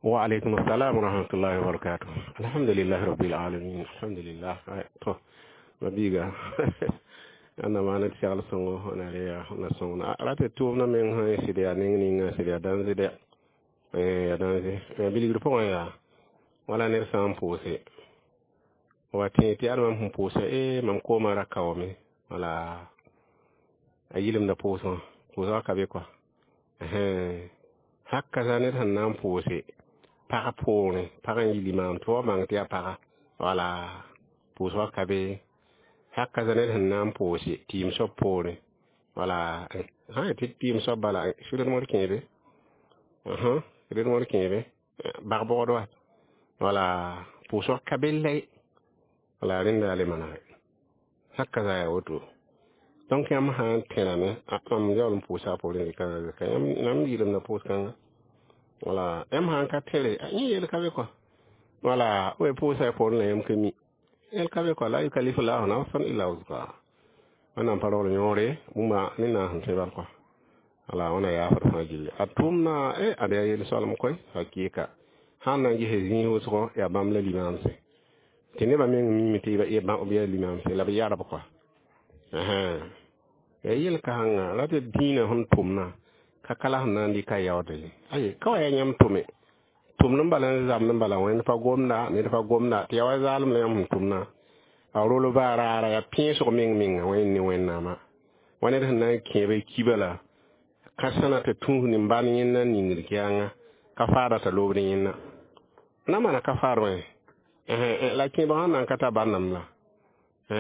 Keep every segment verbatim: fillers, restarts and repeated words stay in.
Wa alaikum assalam wa rahmatullahi wa barakatuh. Alhamdulillah rabbil alamin. Alhamdulillah. To mabiga ãnda maana tɩ segl sõngo na re na sõng ra tɩ tʋʋmdã meng sã sɩd yaa neng ninga sɩd yaa dãnze dɛ yaa dãnze bilgr pʋgẽ yaa wala ned sã n pʋʋse wa tẽ tɩ yaa mam sẽn pʋʋsa e mam koomã ra kaoome wala a yɩlemda pʋʋsgã pʋʋsgã ka be kɔa haka zã ned sẽn na n pʋʋse pag poorẽ pag n yi limaam tɩ wa bãng tɩ yaa paga wala pʋʋsgã ka be haka zã ned sẽn na n pʋʋse tɩɩm soab poorẽ wala sã n tɩ tɩɩm soab bala sʋ-rẽdmd kẽebe rẽdmd kẽebe bag-bogd wa wala pʋʋsg ka be lɛ wala rẽnda yaa le manegɛ haka zã yaa woto donc yãmb sã n tẽrame mam yaool n pʋʋsa a poorẽ zɩka yãmb yɩlemda pʋʋs-kãnga wala yãmb sã n ka tẽre yẽ yel ka be kɔa wala b pʋʋsa y poorẽ la yãmb ka mi yel ka be kɔa la yukalifu lahu nafsan illa wus'aha wẽnnaam pa rogl yõore bũmba ne na sẽn tõe bal kɔa wala wẽna yaafd fãa gilli a tʋʋmna e ad yaa yel-soalem koe hakɩɩka sãn na n gese zĩig wʋsgo yaa bãmb la limaamse tɩ nebã meng miime tɩ b yaa limaamse la b yarb kɔa yaa yel-kãngã ra tɩ dĩinã sẽn tʋmna ka ka la sẽn na n dɩka yaood ye aye ka wa yaa yãmb tʋme tʋmd n bala n zabd n bala wẽnd pa gomda ned pa gomda tɩ yaa wa zaalem la yãmb sẽn tʋmna a rolba raara yaa pẽesg meng menga wẽnd ne wẽnnaamã wa ned sẽn na n kẽeb kiba la ka sãna tɩ tũus nin-bãn yẽnda n ningd kɛɛngã ka faada t'a loobd yẽnna na maana ka faad wẽ la kẽebg sẽn na n ka tar bãndame la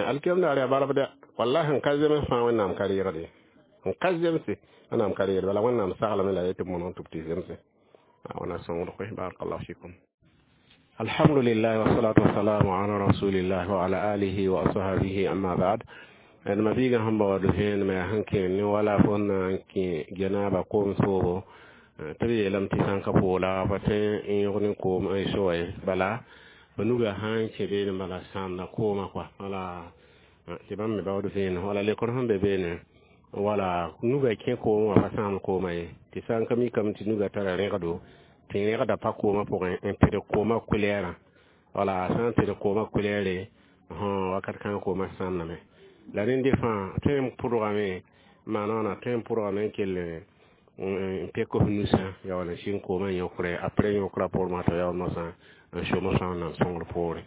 alkiyam daar yaa barb dɛ wallahi n ka zems fãa wẽnnaam ka reegde n ka zemse wẽnnaam ka reegde bala wẽnnaam saglame la yetɩ b monog tɩ b tɩ zemse wẽna sõngd koe barakallahu fikum. Alhamdulillah wassalatu wassalamu ala rasulillah wa ala alihi wa ashabihi, amma ba'd. D mabiigã sẽn baood vẽenemã yaa sẽn kẽer ne wala fo na n kẽ janaba koom soobo tɩ b yeelame tɩ sã n ka poola pa tõe n yõg ne koom n soa ye bala b nuga sã n kẽ beene bala sãamda koomã kɔa wala tɩ bãmb me baood vẽenem wala lekr sẽn be beene wala nuga kẽ koomã wã pa sãamd koomã ye tɩ sã n ka mikame tɩ nuga tara rẽgdo tɩ rẽgda pa koomã pʋgẽ n pɩdg koomã kʋlɛɛrã wala sã n pɩdg koomã kʋlɛɛre wakat kãngã koomã sãamdame la rẽnde fãa tõe n pʋdgame maana wãna tõe n pʋdgame n kell n pek f nusã ya wala sɩng koomã yõkre après yõkrã poorẽ t'a yaool mosã n som f wẽnnaam sõngr poore.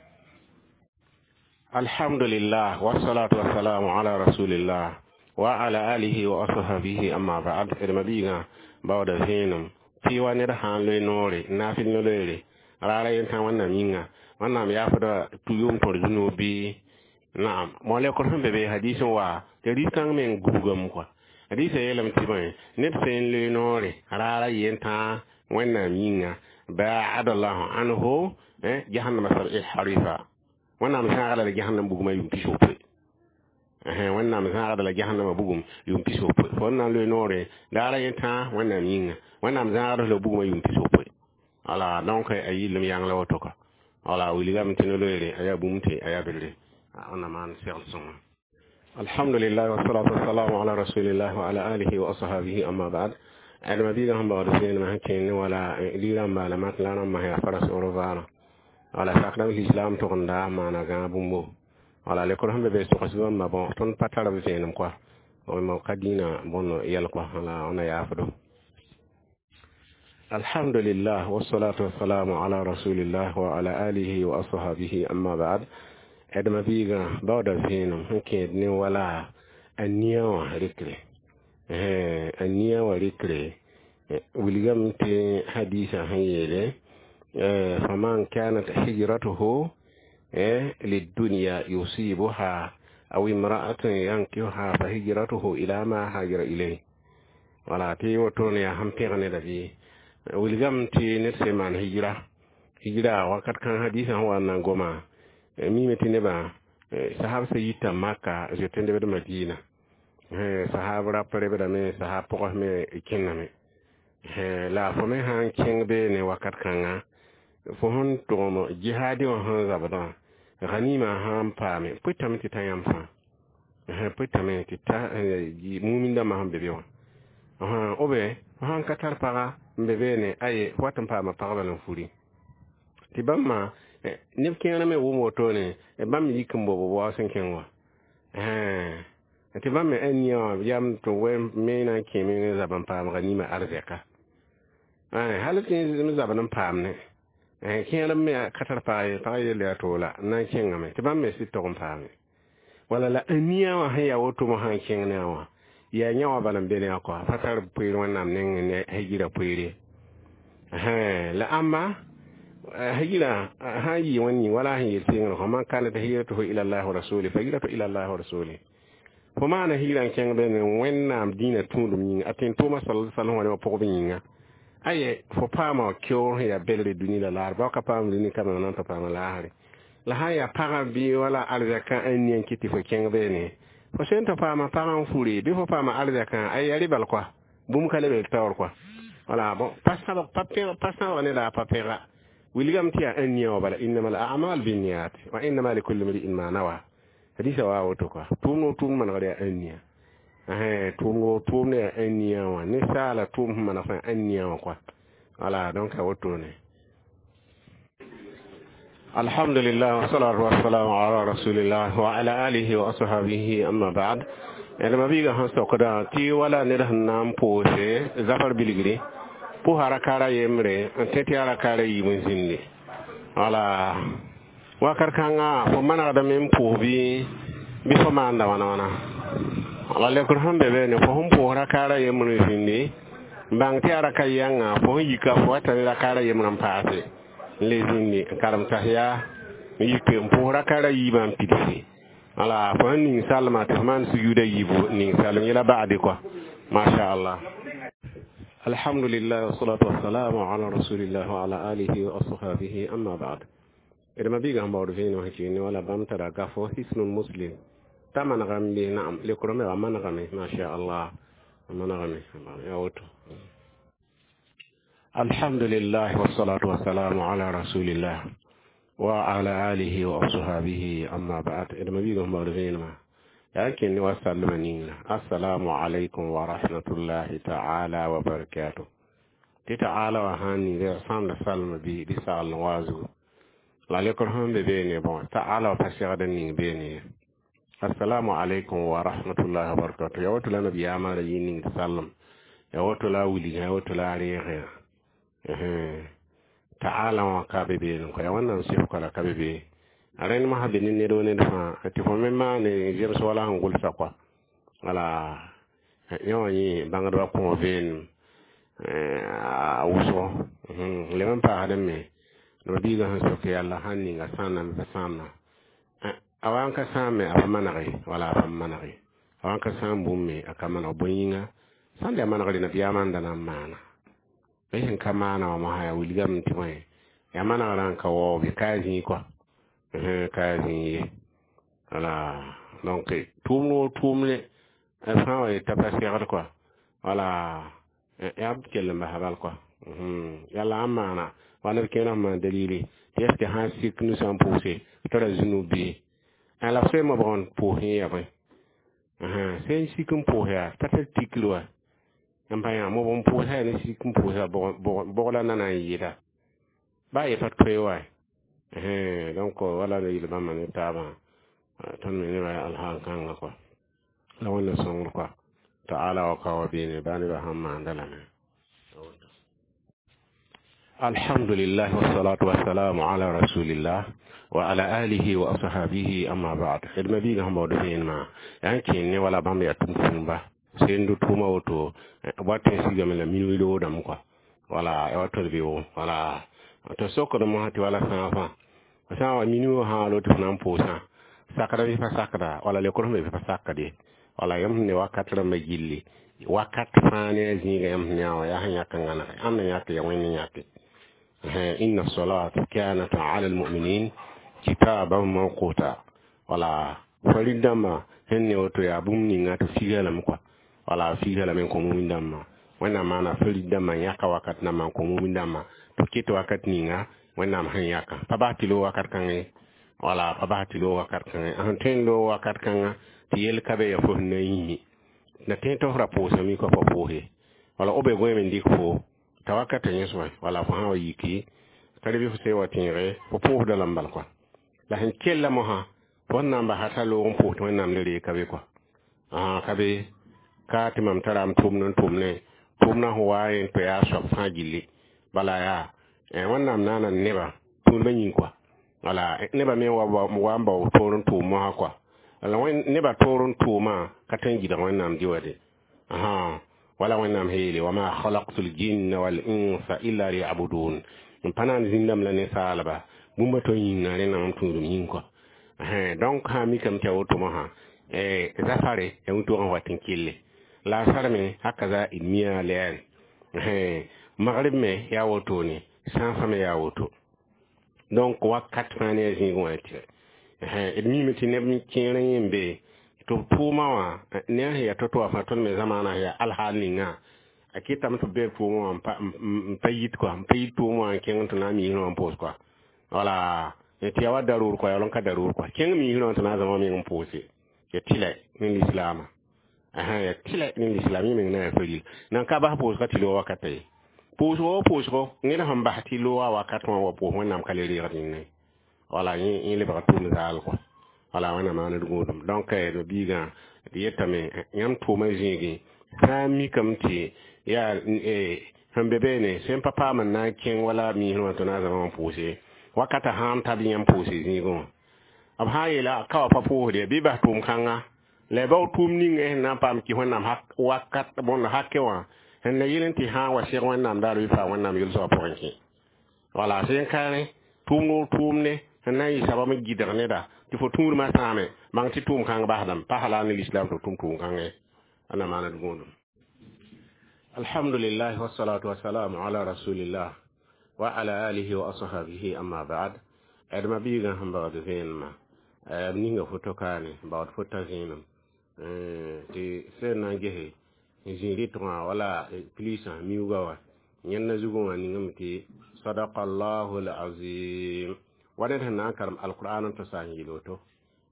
Alhamdulillah wassalatu wassalamu ala rasulillah wa ala alihi wa ashabihi, amma ba'd. D mabiigã baooda vẽenem tɩ wa ned sã n loe noore n naafɩl no-loeere raara yentã wẽnnaam yĩnga wẽnnaam yaafda yʋʋm tõr zũnoog bɩ naam molekr sẽn be be hadis n wa tɩ ris-kãng meng gubgame kɔa hadisã yeelame tɩ bõe ned sẽn n loe noore raara yentã wẽnnaam yĩnga baadallahu anhu jahannama sab'i harifa wẽnnaam zãagda la jahannam bugmã yʋʋm pis-wopoe wẽnnaam zãagda la jahannama bugum yʋʋm pis-wopoe fo n na n loe noore raara yentã wẽnnaam yĩnga wẽnnaam zãagda la bugmã yʋʋm pis-wopoe wala donc a yillem yãng la woto ka wala wilgame tɩ no-loeere a yaa bũmb tɩ a yaa belle wẽnnaam maan segl sõnga. Alhamdulillah wassalatu wassalamu ala rasulillah wa ala alihi wa ashabihi, amma ba'd. D mabiigã sẽn baood vẽenemã sẽn kẽer ne wala liirã n baala matla rãmbã yaa fara sogr vaarã wala sakdame lislaam togenda maana gãag bũmbo wala lekr sẽn be be togs bãmba bõ tõnd pa tar b vẽenem kɔa ka dĩinã bõn yɛl kɔa wala wẽna yaafdo. Alhamdulillah wassalatu wassalamu ala rasulillah wa ala alihi wa ashabihi, amma ba'd. D mabiigã baooda vẽenem sẽn kẽed ne wala a nia wã rɩkre a nia wã rɩkre wilgame tɩ hadisã sẽn yeele faman kanat hijratuhu lidunya yusibuha aw imra'atun yankihuha fa hijratuhu ila ma hajara ilayh wala tɩ wotone yaa sẽn pẽg neda bɩ wilgame tɩ ned sẽn maan hijra hijra wakat kãng hadisã sẽn wa n na n goma mime tɩ nebã sahab sã yita maka zoet n lebd madina sahab rap rebdame sahab pʋgs me kẽnname la fo me sã n kẽng beene wakat kãnga fo sẽn tʋgem jihaadi wã sẽn zabdã ganima sã n paame pʋtame tɩ ta yãmb fãa pʋtame tɩ ta mumin dãmbã sẽn be be wã Obe sãn ka tar paga n be beene aye fo wat n paama pagba n furi tɩ bãmb ma neb kẽer me wʋm wotone bãmb yik n bob b waoos n kẽng wã tɩ bãmb me ãn-nia wã yam tɩ me na n kẽeme ne zab n paamga nima arzɛka hal tɩ m zabd n paam ne kẽer me ka tar pag ye pag yelle yaa to la n na n kẽngame tɩ bãmb me sɩd tog n paame wala la ania wã sẽn yaa woto mosã n kẽng ne a wã yaa yã wã bala n be ne a kɔa pa tar poeer wẽnnaam neng ne hijira poeere la ãmba hijira sã n yɩ wẽnd yĩng wala sẽn yel sɩngr fo man kanat hijratuhu ila allah wa rasuli fa hijratu ila allah wa rasuli fo maana hijira n kẽng bene wẽnnaam dĩinã tũudum yĩnga a tẽn tʋʋma sal sal wã ne wã pʋgb yĩnga aye fo paama keoor sẽn yaa belre dũni la laar bao ka paam dũni ka na n tɩ paama laasre la sã n yaa pagã bɩ wala arzɛkã ãn nia n kɩt tɩ fo kẽng beene fo sẽn tɩ paama pagã n fure bɩ fo paama arzɛkã ay yaa rɩ bal koa bũmb ka lebe taoor koa wala bon pa sãbg pa sãbg ne la a pa pẽga wilgame tɩ yaa ãn nia wã bala innama al a'mal binniyat wa innama likulli mri'in ma nawa hadisa wa woto koa tʋʋmd o tʋʋmd manegd yaa ãn nia tʋʋmd o tʋʋmd yaa ãn nia wã ninsaala tʋʋm sẽn maneg fãa ãn nia wã koa wala donc a wotone alhamdulillah wassalatu wassalamu ala rasulillah wa ala alihi wa ashabihi amma ba'd d mabiiga sẽn sokda tɩ wala ned sẽn na n pʋʋse zafar bilgre pʋsa rakaara yembre n tẽ tɩ yaa rakaara yiib n zĩndi wala wakat kãnga fo manegdame n pʋʋs bɩ bɩ fo maanda wãna wãna wala lekr sẽn be beene fo sẽn pʋʋs rakaara yembr n zĩndi n bãng tɩ yaa raka yãnga fo sẽn yika fo wata ne rakaara yembr n paase n le zĩndi n karem tahiya n yik n pʋʋs rakaara yiibã n pidse wala fo sẽn ning salma tɩ fo maan sujuuda yiibu ning salm yẽla ba'de kɔa masha allah alhamdulillah wassalatu wassalamu ala rasulillah wa ala alihi wa ashabihi amma ba'd d mabiiga sẽn baood vẽenem sẽn kɩɩne wala bãmb tara gafo hisnul muslim t'a manegame bɩ naam lekrame wa manegame masha allah a manegame yaa woto alhamdulillah wassalatu wassalamu ala rasulillah wa ala alihi wa ashabihi amma ba'd d mabiiga sẽn baood vẽenemã yaa kẽnd wa sallma ninga assalamu alaikum wa rahmatullahi ta'ala wa barakatuh tɩ ta'ala wã sãn ning sãmda salma bɩ bɩ sagl n waa zugu la lekr sẽn be beene bõe ta'ala wã pa segd n ning beene assalamu alaikum wa rahmatullahi wa barakatuh ya woto la nabiyaamã ra yɩ ning salm ya woto la a wilgã ya woto la a reegã ta'ala wã ka be beene kõ ya wẽnnaam sɩfka la ka be bee a rẽnd mosã be ne ned wo ned fãa tɩ fo me maane zems wala sẽn gʋlsa kɔa wala yẽ wã yẽ bãngdbã kõ vẽenem a wʋsgo leb n paasdẽ me mabiiga sẽn sok yalla sãn ninga sãamna pa sãamna a wa n ka sãam me a pa manege wala a pa manege a wa n ka sãam bũmb me a ka maneg bõe yĩnga sãn da manegre nabiyaamã n da na n maana la sẽn ka maana wã mosã yaa wilgame tɩ bõe yaa manegrã n ka waoog ka a zĩig kɔa ka a zĩig ye wala donc tʋʋmd wo tʋʋmde fãa wa yeta pa segd kɔa wala yaa b kell n basa bal kɔa yalla n maana wa neb kẽerã sẽn maan dalili tɩ est ce que sãn sik nusã n pʋʋse tara zũnub bɩ la f sẽn mobg n pʋʋs yẽ yaa bõe sẽn sik n pʋʋs yaa pa tar tikr wa n pa yã mobg n pʋʋsa yaa ne sik n pʋʋsa bʋg la na na n yɩɩda baa ye pa toe wa donc wala la yel bãmba ne taabã tõnd me nebã yaa alhaal kãngã kɔa la wẽnna sõngr kɔa ta'ala wa ka wa beene baa nebã sãn maanda lame alhamdulillah wassalatu wassalamu ala rasulillah wa ala alihi wa ashabihi amma ba'd d mabiiga sẽn baood vẽenemã yaa n kẽen ne wala bãmb yaa tʋm-tʋʋmba sẽn do tʋʋma woto wa tẽ sigame la minuit loodame kɔa wala ya wa tol beoogo wala tɩ sokd mosã tɩ wala sãag fãa sã n wa minuit wã sã wa tɩ f na n pʋʋsã sakda bɩ pa sakda wala lekr sẽn be bɩ pa sakd ye wala yãmb sẽn ne wakat rãmbã gilli wakat fãa ne a zĩiga yãmb sẽn ne a wã yaa sẽn yãk n gãnege ãmb na yãk ya wẽnd yãke inna salat kanat ala almuminin kitaban mawquta wala farid dãmbã sẽn ne woto yaa bũmb ninga tɩ figa lame kɔa wala figa lame n kõ mumin dãmbã wẽnnaam maana farid dãmbã n yãka wakat nambã n kõ mumin dãmbã tɩ ket wakat ninga wẽnnaam sẽn yãka pa bas tɩ loog wakat kãngẽ wala pa bas tɩ loog wakat kãngẽ sẽn tõe n loog wakat kãngã tɩ yel ka be ya fo sẽn na n yĩme na tõe tɩ f ra pʋʋsame kɔa pa pʋʋse Wala obe goẽ n dɩk fo t'a wakata yẽ soaba wala fo sã wa yiki ka bɩ fo se wa tẽege fo pʋʋsda lame bal kɔa la sẽn kella mosã fo sẽn na n basa t'a loog n pʋʋs tɩ Wẽnnaam le reeg ka be kɔa ãa ka be ka tɩ mam tara m tʋmd n tʋmne tʋmdã sẽn wa n tɩ yaa soab fãa gilli bala yaa Wẽnnaam naana nebã tũudmã yĩng kɔa wala nebã me wa wa n bao toor n tʋʋm mosã kɔa la nebã toor n tʋʋmã ka tõe n gɩdg Wẽnnaam dɩ wa de ãhã wala Wẽnnaam sẽn yeele wama khalaqtu ljinna wal insa illa liyabudun n pa na n zĩndame la ninsaalba bũmba to yĩnga rẽnna mam tũudum yĩng kɔa donc sã mikame tɩ ya woto mosã zafare ya wĩntogã wat n kelle la a sar me hakaza d mia lɛɛre magrib me yaa wotone sãafã me yaa woto donc wakat fãa ne a zĩigẽ wã tɩ d mime tɩ neb kẽer yẽ n be tɩ b tʋʋma wã ne a sẽn yaa to-to wã fãa tõnd me zamaanã yaa alhaal ninga a kɩtame tɩ b bee tʋʋmã wã n pa yit kɔa n pa yit tʋʋmã wã n kẽng tɩ na n miisrã wã n pʋʋs kɔa wala tɩ yaa wa daroor kɔa yaa n ka daroor kɔa kẽng miisrã wã tɩ na n zãma meng n pʋʋse ya tɩlɛ ne lislaamã ya tɩlɛ ne lislaam yẽ meng na yaa faril nan ka bas pʋʋsga tɩ loog wakata ye pʋʋsgo wa pʋʋsgo ned sẽn bas tɩ looga wakat wã wa pʋʋs Wẽnnaam ka le reegd yẽnne wala yẽ lebga tʋʋm zaal kɔa wala Wẽnnaam maand gũudum donc d biigã d yetame yãmb tʋʋmã zĩigẽ fãa mikame tɩ yaa sẽn be beene sẽn pa paam n na n kẽng wala miisrã wã tɩ na n zãma wã pʋʋse wakata sãn ta bɩ yãmb pʋʋse zĩigẽ wã b sã n yeela ka wa pa pʋʋsde bɩ bas tʋʋm kãnga la bao tʋʋm ninga sẽn na n paam kɩ Wẽnnaam wakat bõnd hakɛ wã sẽn la yel n tɩ sã n wa seg Wẽnnaam daar bɩ paa Wẽnnaam yel-soabã pʋgẽ kẽ wala sẽn ka rẽ tʋʋmd o tʋʋmde sẽn na n yɩ sabam n gɩdg neda tɩ fo tũudmã sãame bãng tɩ tʋʋm kãng basdame pa la ne lislaam tɩ tʋm tʋʋm kãngẽ a na maand gũudum alhamdulillah wassalatu wassalamu ala rasulillah wa ala alihi wa ashabihi amma ba'd d ma biigã sẽn baood vẽenemã b ninga foto kaane baood fota zẽenem tɩ sẽn na n gese zĩ rɩtgã wala pilisã miuugã wã yẽnda zugẽ wã ningame tɩ sadaka allahu alazim wa ned sẽn na n karem alqur'an n tɩ sa n yel woto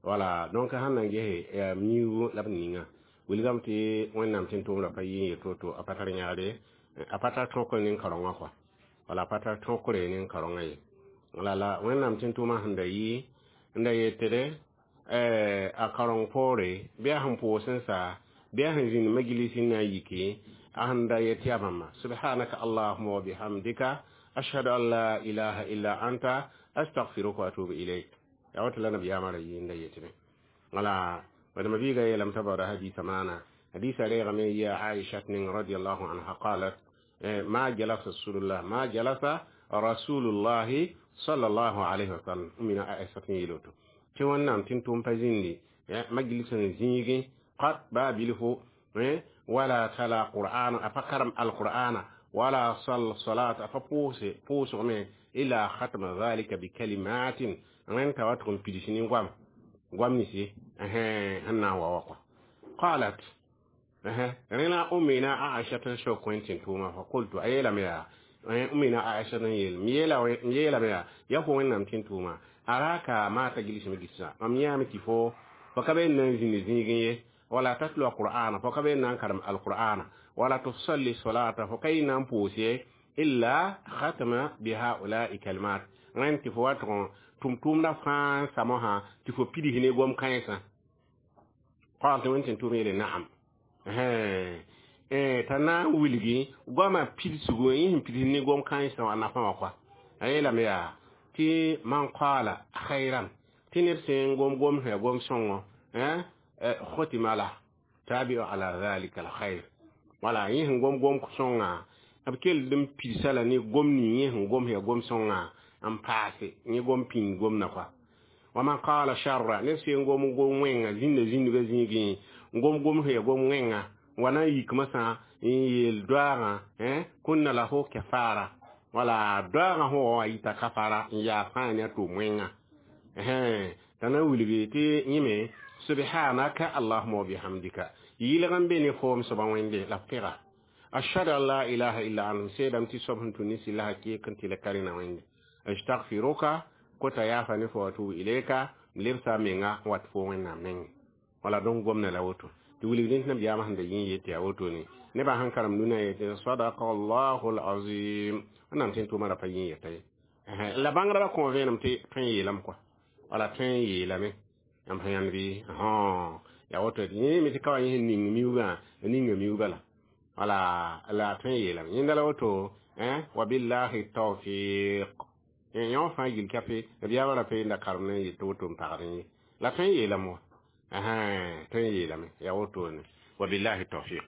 wala donc sãn na n gese miuug la b ninga wilgame tɩ Wẽnnaam tɩ n tʋʋmda pa yɩ n yet woto a pa tar yãgre a pa tar tõkr nin-kaorengã kɔa wala a pa tar tõkre nin-kaorengã ye la la Wẽnnaam tɩ n tʋʋmã sẽn da yɩ n da yetde a kaoreng poore bɩ a sẽn pʋʋs n sa bɩ a sẽn zĩnd majlis n na n yike a sẽn da yet yaa bãmba subhanaka allahuma wa bihamdika ashhadu an la ilaha illa anta astaghfiruka wa atubu ilayk yaa woto la nabiyaamã ra yɩ n da yetme wala wadama biiga yeelame t'a baooda hadisa maana hadisa reegame ya Aisha ning radiallahu anha qalat ma jalasa rasulullah ma jalasa rasulullahi sallallahu alaihi wasallam mina Aisha tɩ yeel woto tɩ Wẽnnaam tɩ n tʋʋm pa zĩndi majlis n zĩigẽ qad baa bilfo wala tala qur'ana a pa karem alqur'ana wala sal salat a pa pʋʋse pʋʋsgme ila khatma dhalika bikalimatin rẽnd t'a wa tʋg n pids ne goam goam ninsi sẽn na n wa wa kɔa qalat rẽ la umina Aisha n sok wẽn tɩ n tʋʋma fa qultu a yeelame yaa umina Aisha n yeel m yeelame yaa yaa fo Wẽnnaam tɩ n tʋʋma araka ma tajlis majlisa mam yãame tɩ fo fo ka be n na n zĩnd zĩigẽ ye wala tatlu alqur'ana fo ka be n na n karem alqur'ana wala tusalli salata fo ka yɩ na n pʋʋs ye illa khatama bihaulai kalimat rẽnd tɩ fo wa tʋg tʋm-tʋʋmdã fãa n sa mosã tɩ fo pids ne gom kãensã qal tɩ wẽn tɩ n tʋʋm yeele naam t'a na n wilgi goamã pidsgu yẽ sẽn pids ne gom kãensã wã nafã wã kɔa a yeelame yaa tɩ man qala khayran tɩ ned sẽn gom gom sẽn ya gom sõngo khotima la tabi'u ala dhalika alkhair wala yẽ sẽn gom gom sõnga b kell n pidsa la ne gom ning yẽ sẽn gom ya gom sõnga n paase yẽ gom pĩnd gomdã kɔa wa man qala sharra ned sẽn gom gom wẽnga zĩnda zĩndgã zĩigẽ gom gom sẽn ya gom wẽnga wa na n yik masã n yeel doaagã kunna lahu kafara wala doaagã sẽn wa wã yita kafara n yaa fãa ne a tʋʋm wẽnga t'a na n wilgi tɩ yẽme subhanaka allahuma wa bihamdika yɩlg n be ne foom soaba Wẽnde la pẽga ashhadu an la ilaha illa anta seedame tɩ soab sẽn tũ ne sɩlla hakɩɩk n tɩ la ka rẽna Wẽnde astaghfiruka kota yaafa ne fo wa tubu ilayka m lebsa menga n wat fo Wẽnnaam nengẽ wala donc gomna la woto tɩ wilg rẽnd nabiyaamã sẽn da yẽ yet yaa wotone Nebã sẽn karem nuna yetɩ sadaka allahu alazim. Wẽnnaam sẽn tʋʋmã ra pa yẽ yeta ye. La bãngdbã kõ vẽenem tɩ tõe n yeelame kɔa, wala tõe n yeelame yãmb sẽn yãnd bɩ yaa woto. Yẽ me tɩ ka wa yẽ sẽn ning miuugã, ninga miuugã la wala la tõe n yeelame. Yẽnda la woto, wabillahi tawfiq. Yõ fãa gil kape nabiyaamã ra pa yenda karem n yet tɩ woto n pagdẽ ye. La tõe n yeelame wa, tõe n yeelame, yaa wotone. Wabillahi tawfiq.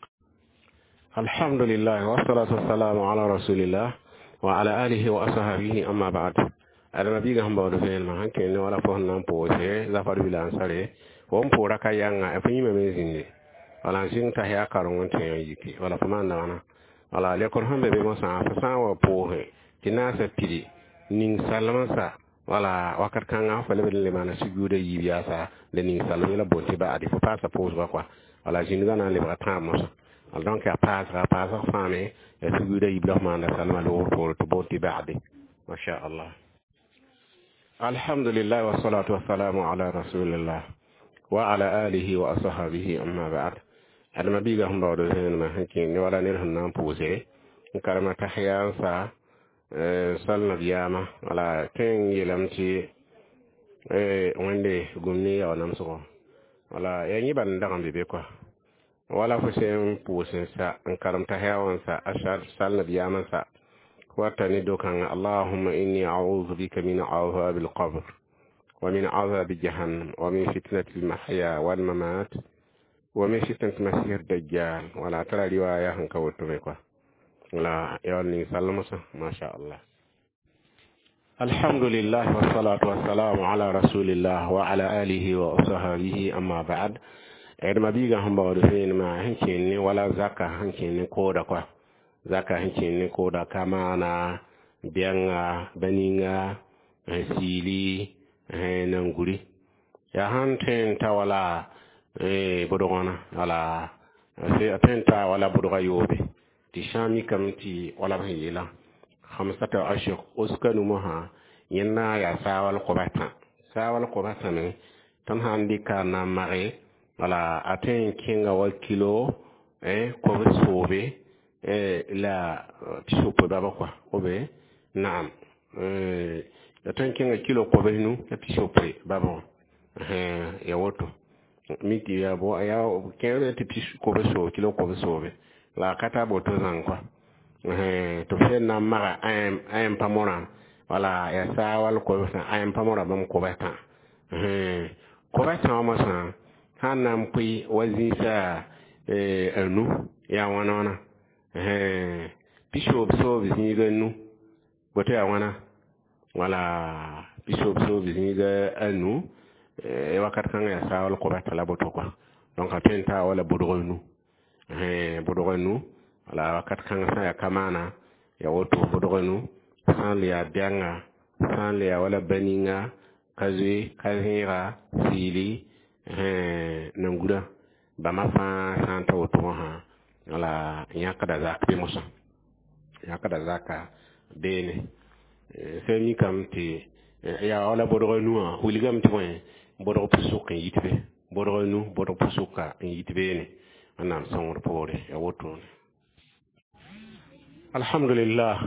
Alhamdulillah, wassalatu wassalamu ala rasulillah wa ala alihi wa ashabihi, amma ba'd. Adama biiga sẽn baood vẽenemã sẽn kẽnd wala fo sẽn na n pʋʋse zafar bila n sare fo n pʋʋra ka yãnga, fo yĩmame n zĩnde wala n zĩng t'a yaa kareng n tẽ n yiki wala fo maanda wãna. Wala lekr sẽn be be mosã, fo sã n wa pʋʋse tɩ naasã pidi ning salmsã, wala wakat kãngã fo lebd n le maana sujuuda yiib yaasa la ning salm yẽla boond tɩ ba'adi fo paasa pʋʋsgã kɔa. Wala zĩndgã na n lebga tãab mosã. Donc yaa paasga paasg fãame yaa sujuuda yiib la f maanda salmã loogr poore tɩ boond tɩ ba'adi, masha Allah. Alhamdulillah, wassalatu wassalamu ala rasulillah wa ala alihi wa ashabihi, amma ba'd. Adama biiga sẽn baood vẽenemã sẽn kẽnd wala ned sẽn na n pʋʋse n karema tahiya n sa sal nabiyaamã, wala tõe n yeelame tɩ Wẽnde gũm ne yao namsgɔ, wala yaa yẽ bal n dag n be be kɔa. Wala fo sẽn pʋʋs n sa n karem tahiya wã n sa a sal nabiyaamã sa wata ne dokãngã: allahumma inni a'udhu bika min azabi alqabr wa min azabi jahannam wa min fitnati almahya walmamat wa min fitnati masih dajjal. Wala tara riwaya sẽn ka woto me kɔa. Wala yawal ning salmosã, masha Allah. Alhamdulillah, wassalatu wassalamu ala rasulillah wa ala alihi wa ashabihi, amma ba'd. Adma biiga sẽn baood vẽenemã sẽn kẽnd ne wala zaka sẽn kẽnd ne kooda kɔa, zaka sẽn kẽnd ne kooda ka maana bɛnga ba-ninga, siili, nanguri. Yaa sãn tõe n ta wala bʋdgõna, wala a tõe n ta wala bʋdga yoobe tɩ sã n mikame tɩ wala b sẽn yeelã hamsata ashir oska numosã, yẽnda yaa saawal koba tã. Saawal koba tã me tõnd sã n dɩka n na n mage, wala a tõe n kẽnga wa kilo kob soobe la pisopoe baba kɔa obe. Naam, a tõe n kẽnga kilo kobs nu la pisopoe baba wã, ya woto mi tɩ yaa kẽer tɩ pis kobs soob, kilo kobs soobe la a ka tar boto zãng kɔa tɩ f sẽn na n maga a pa morã. Wala yaa saawal kobs a pa morã bãmb kobs tã, kobs tã wã mosã sã n na n pʋɩ wa zĩisa a nu yaa wãna wãna pisoob soob zĩiga nu boto yaa wãna. Wala pisoob soob zĩiga a nu wakat kãngã yaa saawal kobs tã la boto kɔa. Donc a tõe n taa wala bʋdg nu, bʋdg nu. Wala wakat kãngã sã n yaa ka maana ya woto bʋdg nu, sã n le yaa bɛnga, sã n le yaa wala ba-ninga, ka zoe, ka zẽega, siili, nangurã, bãmba fãa sã n ta woto wã wala yãkda zak be mosã, yãkda zaka beene. Sẽn mikame tɩ yaa wala bʋdg nu wã wilgame tɩ bõe bʋdg pʋsʋk n yit be, bʋdg nu, bʋdg pʋsʋka n yit beene. Wẽnnaam sõngr poore, yaa wotone. Alhamdulillah,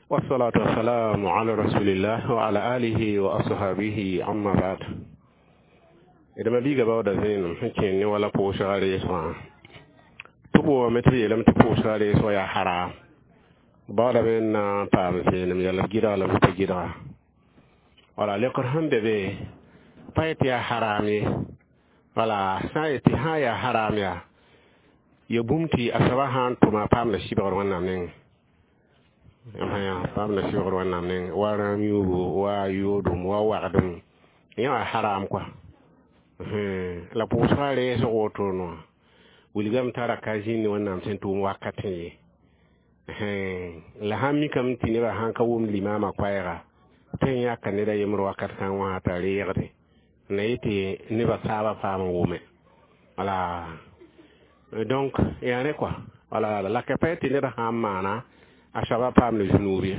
wassalatu wassalamu ala rasulillah wa ala alihi wa ashabihi, amma ba'd. Dama biiga baooda vẽenem sẽn kẽnd ne wala pʋʋsga reesgã tɩ boame tɩ b yeelame tɩ pʋʋsga reesg yaa haram. Baoodame n na n paam vẽenem yɛl b gɩdga la b pa gɩdga. Wala lekr sẽn be be pa yetɩ yaa haram ye. Wala sã n yetɩ sã n yaa haram yaa ya bũmb tɩ a soaba sã n tʋma a paamda sɩbgr Wẽnnaam nengẽ, paamda sɩbgr Wẽnnaam nengẽ, wa rãam yũubu, wa yoodum, wa wagdem, yẽ wã haram kɔa. La pʋʋsga reesg wotone wã wilgame tara ka zĩnd Wẽnnaam sẽn tʋʋm wakatẽ ye. La sãn mikame tɩ nebã sãn ka wʋmd limaamã koɛɛga tõe n yãka ned a yembr wakat kãng wã t'a reegde na yetɩ nebã taabã paam n wʋme. Wala donc yaa rẽ kɔa. Wala la ka pa tɩ ned sã n maana a soaba paamda zũnuub ye.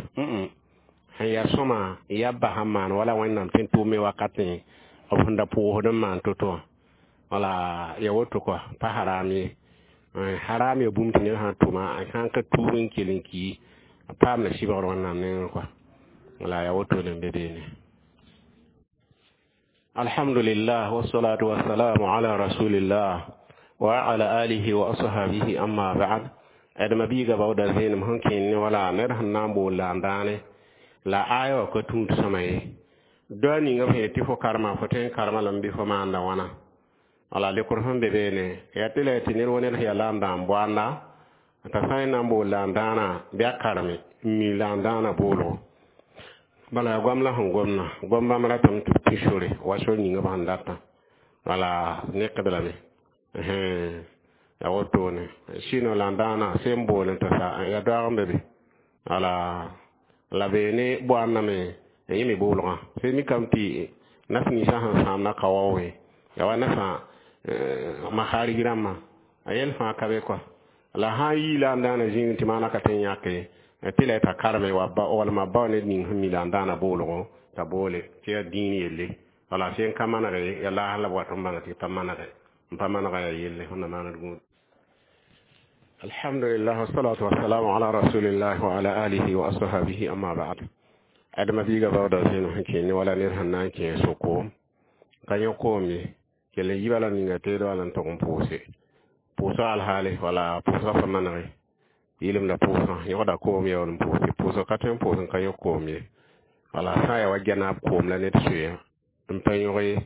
Sẽn yaa sõma yabba sãn maan wala Wẽnnaam sẽn tʋʋme wakatẽ b sẽn da pʋʋsd n maan to-to wã, wala ya woto kɔa, pa haram ye. Haram ya bũmb tɩ ned sã n tʋma a sã n ka tuub n kell n ki a paamda sɩbgr Wẽnnaam nengẽ kɔa. Wala yaa wotone n be beene. Alhamdulillah, wassalatu wassalamu ala rasulillah wa ala alihi wa ashabihi, amma ba'd. Adma biiga baooda zẽenem sẽn kẽen ne wala ned sẽn na n bool la n dãane la aya wã ka tũud sõma ye. Doa ninga b sẽn tɩ fo karema, fo tõe n karema lame bɩ fo maanda wãna? Wala lekr sẽn be beene yaa tɩ la tɩ ned wa ned sẽn yaa la n dãan boanda t'a sã n na n bool la n dãana bɩ a kareme n mi la n dãana boolgo. Bala yaa goam la sẽn gomna gom bãmb ratame tɩ b tũ sore wa sor ninga b sẽn datã wala nekd lame yaa wotone. Sɩno la n dãana sẽn bool n tɩ sa yaa doaag n be be wala la beene boandame yẽ me boolgã sẽn mikame tɩ nas ninsã sẽn sãamda ka waoogẽ yaa wa nasã maharig rãmbã a yɛl fãa ka be kɔa. La sã n yii la n dãana zĩig tɩ maana ka tõe n yãke tɩ la t'a kareme walma bao ned ning sẽn mi la n dãana boolgo t'a boole tɩ yaa dĩin yelle. Wala sẽn ka manege yaa laas la b wat n bãng tɩ pa manege n pa manega yaa yelle sẽn na maand gũud. Alhamdulillah, wassalatu wassalamu ala rasulillah wa ala alihi wa ashabihi, amma ba'd. Adama biiga baooda zẽenem sẽn kẽen ne wala ned sẽn na n kẽ so-koom ka yõ koom ye kell n yiba la ninga teedo wala n tog n pʋʋse pʋʋsga alhaale wala pʋʋsga pa manege yɩlem la pʋʋsgã yõgda koom yaool n pʋʋse pʋʋsg ka tõe n pʋʋs n ka yõ koom ye. Wala sã n yaa wa gɛnaab koom la ned soeya n pa yõg ye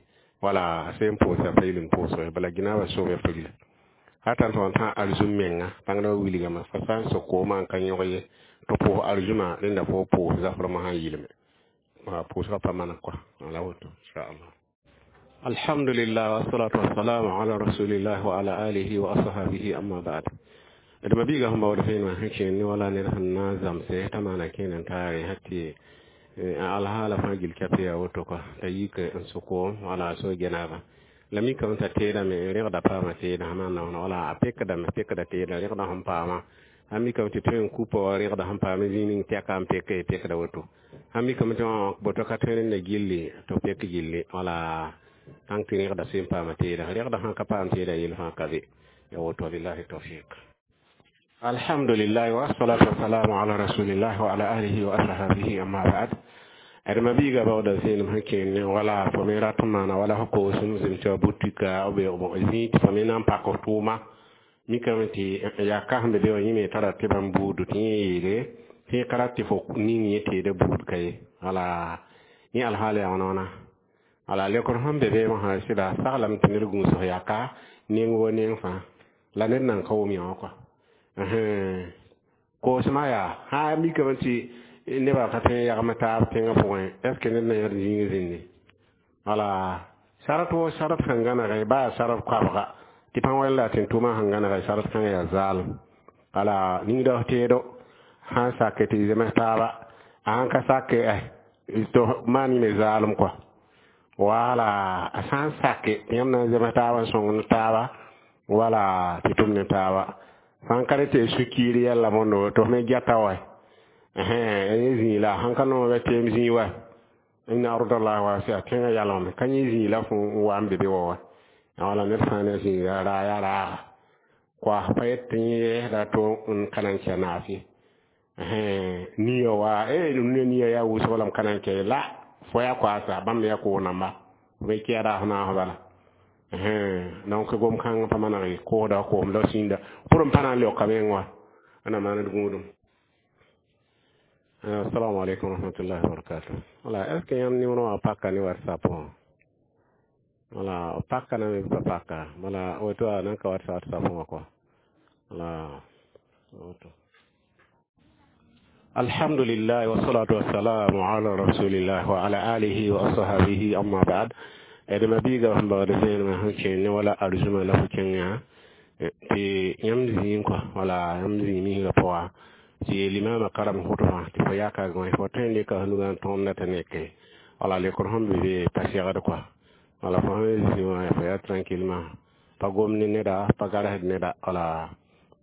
wala sẽn pʋʋsa pa yɩl n pʋʋsg bala ginaabã soom ya pagla hata n tõg tã arzum menga bãngdã wilgame fa sã n sok koomã n ka yõg ye tɩ pʋʋs arzumã rẽnda fo pʋʋs zafrmã sã n yɩlme pʋʋsgã pa maneg kɔa wala woto inchallah. Alhamdulillah, wassalatu wassalamu ala rasulillah wa ala alihi wa ashabihi, amma ba'd. D ma biiga sẽn baood fẽen wã sẽn kẽen ne wala ned sẽn na n zãmse t'a maana kẽen n taare sã tɩ alhaala fãa gil kɛp yaa woto kɔa t'a yik n sʋ koom wala a so genaabã la mikame t'a teedame n rẽgda paama teedã sã maana wãna wala a pekdame pekda teedã rẽgda sẽn paama sã mikame tɩ tõe n kupa wa rẽgda sẽn paam zĩig ning tɛka n peke pekda woto sã mikame tɩ boto ka tõe rẽnda gilli tɩ pek gilli wala tãng tɩ rẽgda sẽn paama teedã rẽgda sãn ka paam teedã yel fãa ka be ya woto. Billahi tawfiq. Alhamdulillah, wassalatu wassalamu ala rasulillah wa ala alihi wa ashabihi, amma ba'd. Adma biiga baooda zẽenem sẽn kẽen ne wala fo me rat n maana wala fo koosem zem tɩ wa butika b zĩig tɩ fo me na n pak f tʋʋma mikame tɩ yaa ka sẽn be be wã yẽ me tara tɩ bãmb buudu tɩ yẽ yeele tɩ ka rat tɩ fo ning yẽ teeda buud ka ye wala yẽ alhaal yaa wãna wãna wala lekr sẽn be beemã sã sɩda saglame tɩ ned gũusg yaka neng wa neng fãa la ned nan ka wʋm yã wã kɔa koosmã yaa sã mikame tɩ nebã ka tõe n yagem taab tẽngã pʋgẽ est ce que ned na yãd zĩig zĩndi wala sarat wo sarat sẽn gãnege baa sarat koabga tɩ pãn wɛl la tɩ n tʋʋmã sẽn gãnege sarat kãngã yaa zaalem wala ningda f teedo sã n sake tɩ zems taaba a sãn ka sake tɩ maan yĩme zaalem kɔa wala a sã n sake tɩ yãmb na n zems taaba n sõng ne taaba wala tɩ tʋm ne taaba sãn ka rẽ tɩ sũ-kiir yɛla mondo tɩ f me gɛta wa yẽ zĩig la sãn ka noog teem zĩig wa inna ardallahi wasia tẽngã yalgame ka yẽ zĩig la fo n wa n be be wa wa wala ned sã n ne zĩiga raa yaa raaga koas pa yet tɩ yẽ yɛɛsda to n ka na n kɛ naaf ye nia wa e ne nia yaa wʋsg la m ka na n kɛ la fo yaa koasa bãmb yaa koos namba b kɛɛda f naas bala. Donc gom kãng pa maneg koosda koom la sĩnda pʋr n pa na n leoka meng wa ana maand gũudum. Assalamu alaikum warahmatullahi wabarakatuh. Wala est ce que yãmb numéro wã paka ne WhatsApp wã wala paka na me pa paka wala woto a nan ka WhatsApp wã kɔa wala woto. Alhamdulillah, wassalatu wassalamu ala rasulillah wa ala alihi wa ashabihi, amma ba'd. Adama biiga sẽn baood zẽenemã sẽn kẽen ne wala arzũma la fo kẽngã tɩ yãmb zĩig kɔa wala yãmb zĩig misgã pʋga tɩ limama karem hʋtmã tɩ fo yaka gõe fo tõe n leka f nugã n tõmda tɩ neke wala lekr sẽn be be pa segd kɔa wala fo sẽn zĩ wã fo yaa tranquillement pa gom ne neda pa garsd neda wala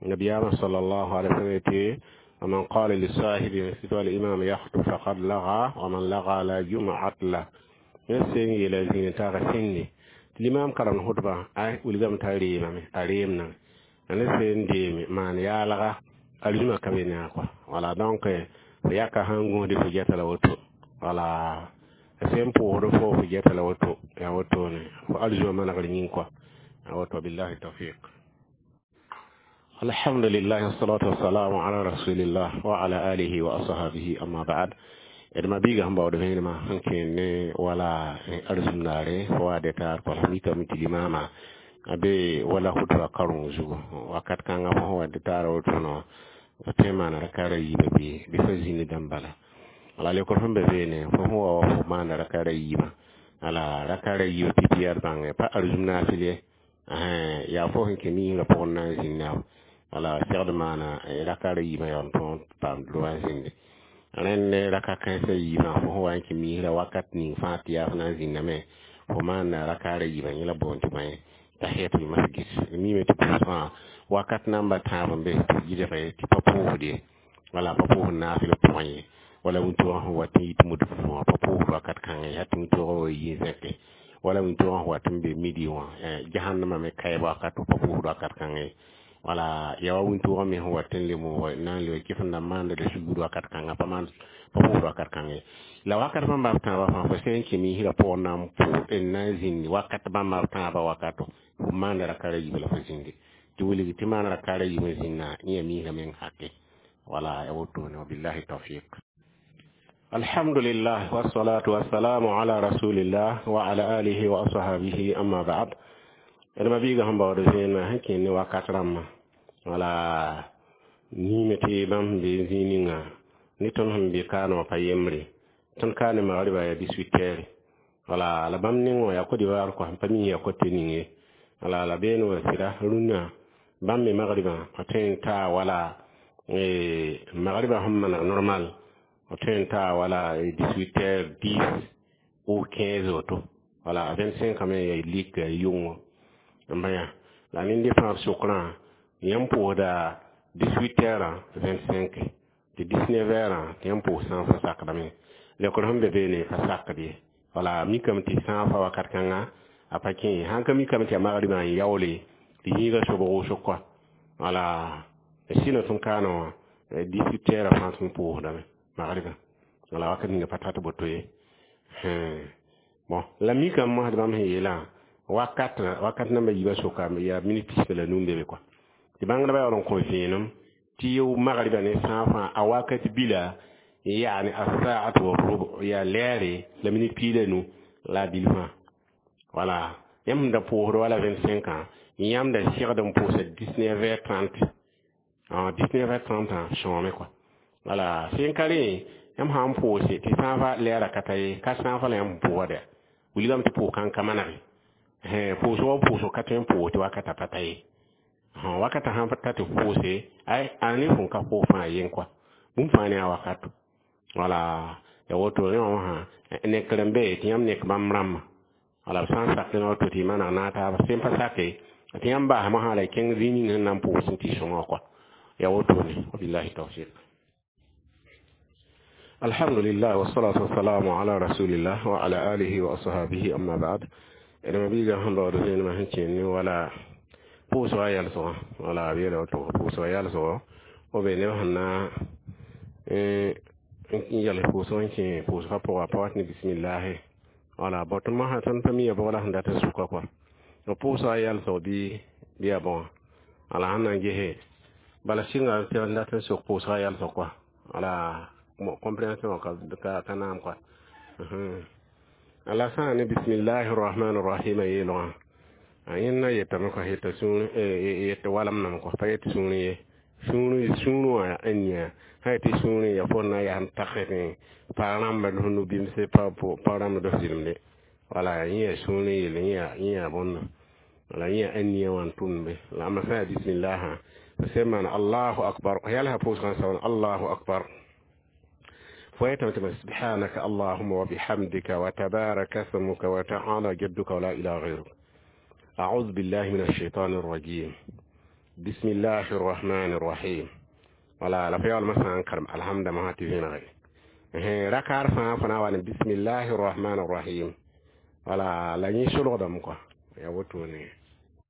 nabiyama sallallahu alaihi wasallam tɩ ومن قال لصاحبه سوى الإمام يخطب فقد لغى ومن لغى لا جمعة له. Yẽ sẽn yeela zĩig taaga sẽnde tɩ limam karemd hʋtbã a wilgame t'a reemame a reemna Ne sẽn deeme maan yaalga arzũma ka be ne a kɔa. Wala, donc fo yaka sãn gũusd fo geta la woto. Wala, sẽn pʋʋsd fo fo geta la woto, yaa wotone fo arzũma manegr yĩng kɔa, yaa woto. Billahi tawfiq. Alhamdulillah, wassalatu wassalamu ala rasulillah wa ala alihi wa ashabihi, amma ba'd. D ma biiga sẽn baood vẽenemã sẽn kẽer ne wala arzũm naare fo wa detaar kɔl mikame tɩ limaamã a be wala hutba kareng zugu wakat kãngã fo sẽn wa detaar woto no tõe n maana rakaara yiibã bɩ bɩ fa zĩnd dãmb bala. Wala lekr sẽn be beene fo sẽn wa wa fo maanda rakaara yiibã. Ala rakaara yiibã pipi yaa d bãnge pa arzũm naafɩl ye, yaa fo sẽn kẽ miisrã pʋgẽ na n zĩnda. Wala segd maana rakaara yiibã yaool n tõog paam droa n zĩnde. Rẽnd raka kãensã yiibã, fo sẽn wa n kẽ miisrã wakat ning fãa tɩ yaa fo na n zĩndame, fo maanda rakaara yiibã. Yẽ la boond tɩ bõe tahiyatul masjid. Mime tɩ pʋʋsgã wakat namba tãab n be tɩ yɩlge tɩ pa pʋʋsd ye, wala pa pʋʋsd naafɩl pʋgẽ ye, wala wĩntoogã sẽn wat n yit mud wã pa pʋʋsd wakat kãngã ye, tɩ wĩntoogã wa yi n zẽke, wala wĩntoogã sẽn wat n be midi wã jahannamã me kaɛb wakato pa pʋʋsd wakat kãngã ye, wala yaa wa wĩntoogã me sẽn wat n lem na n leb kɩf n na maanda la sugr wakat kãngã pa maan pa pʋʋsd wakat kãngã ye. La wakat bãmba b tãabã fãa fo sẽn kẽ miisrã pʋgẽ na n pʋʋs n na n zĩnd wakat bãmba b tãabã wakato fo maanda rakaara yiibã la fo zĩnde tɩ wilg tɩ maan rakaara yiibã zĩnna yẽ yaa miisrã meng hake. Wala, ya wotone. Wabillahi tawfiq. Alhamdulillah, wassalatu wassalamu ala rasulillah wa ala alihi wa ashabihi, amma ba'd. D ma biiga sẽn baood vẽenemã sẽn kẽer ne wakat rãmbã. Wala, niime tɩ bãmb sẽn be zĩig ninga ne tõnd sẽn be kaane wã pa yembre. Tõnd kaa ne magribã yaa dix-huit heures. Wala, la bãmb neng wã yaa Côte d'Ivoire kɔa, pa mi yaa kote ning ye. Wala, la beene wã sɩda rũnnã bãmb me magribã f tõe n taa wala magribã sẽn maneg normal f tõe n taa wala dix-huit heures dix ou quinze woto. Wala, vingt-cinq me yaa lik yʋngo n bã yã la nende fãa b sokrã yãmb pʋʋsda dix-huit heures vingt-cinq tɩ dix-neuf heures tɩ yãmb pʋʋs sã n fa sakdame. Lekr sẽn be beene pa sakd ye. Wala, mikame tɩ sã n fa wakat kãnga a pa kẽ ye, sãn ka mikame tɩ yaa magribã n yaoole tɩ yĩiga sobg wʋsg kɔa. Wala, sɩnã tõnd kaana wã dix-huit heures fãa tõnd pʋʋsdame magribã. Wala, wakat ninga pa tat boto ye. Bon, la mikame mosd bãmb sẽn yeelã wakat wakat namba yiibã soka yaa minit pis la nu n be be kɔa tɩ bãngdbã yaool n kõ vẽenem tɩ y magribã ne sã fãa a wakat bila yaane asaat wa rub yaa lɛɛre la minit pii la nu la bil fãa. Wala, yãmb sẽn da pʋʋsd wala vingt-cinq ans, yãmb da segd n pʋʋsa dix-neuf heures trente, dix-neuf heures trente sõome kɔa. Wala, sẽn ka rẽ yãmb sã n pʋʋse tɩ sã fa lɛɛra ka ta ye, ka sã fa la yãmb pʋʋsda wilgame tɩ pʋʋs kãn ka manege pʋʋsg wa pʋʋsg ka tõe n pʋʋs tɩ wakata pa ta ye. Wakata sãn ta tɩ pʋʋse ay a ne fõn ka pʋʋs fãa yen kɔa bũmb fãa ne a wakato. Wala, ya woto rẽ wã wã nekr n be tɩ yãmb nek bãmb rãmbã. Wala, b sã n sak woto tɩ y maneg naag taaba, sẽn pa sake tɩ yãmb basmã sã la y kẽng zĩig ning sẽn na n pʋʋs n tɩ sõnga kɔa, ya wotone. Wabillahi tawfiq. Alhamdulillah, wassalatu wassalamu ala rasulillah wa ala alihi wa ashabihi, amma ba'd. D ma biiga sẽn baood vẽenemã sẽn kẽer ne wala pʋʋsga yɛlsgã. Wala, b yeela woto pʋʋsga yɛlsgo o be neb sẽn na n yɛls pʋʋsg n kẽ pʋʋsgã pʋga pa wat ne bismillahi. Wala, bõ tõnd mosã tõnd pa mi ya bʋg la sẽn dat n sʋka kɔa b pʋʋsga yɛlsg bɩ bɩ yaa bõa. Wala, sẽn na n gese bala sɩnga tɩ n dat n sok pʋʋsga yɛlsg kɔa. Wala, compréhension ka ka ka naam kɔa. Ala sã ne bismillahi rahmani rahim yeelgã a yẽnda yetame kɔa yeta sũur yet walam nam kɔa pa yet sũur ye sũur sũur wã n yã sã yetɩ sũur ya fo na yaa n tagse pa rãmba dos nu-bimse pa pa rãmba dos zɩlemde. Wala, yẽ yaa sũur yel yẽ yaa bõnda. Wala, yẽ yaa ãnia wã n tʋmd be la ãmba sã yaa bismillah sẽn maan allahu akbar yalsa pʋʋsgã n saoon allahu akbar فويتم سبحانك اللهم وبحمدك وتبارك اسمك وتعالى جدك ولا إله غيرك أعوذ بالله من الشيطان الرجيم بسم الله الرحمن الرحيم. ولا لا فيال مثلا كرم الحمد ما تفين غير ركار فا فنا وان بسم الله الرحمن الرحيم. ولا لا ني شلو دم كو يا وتوني.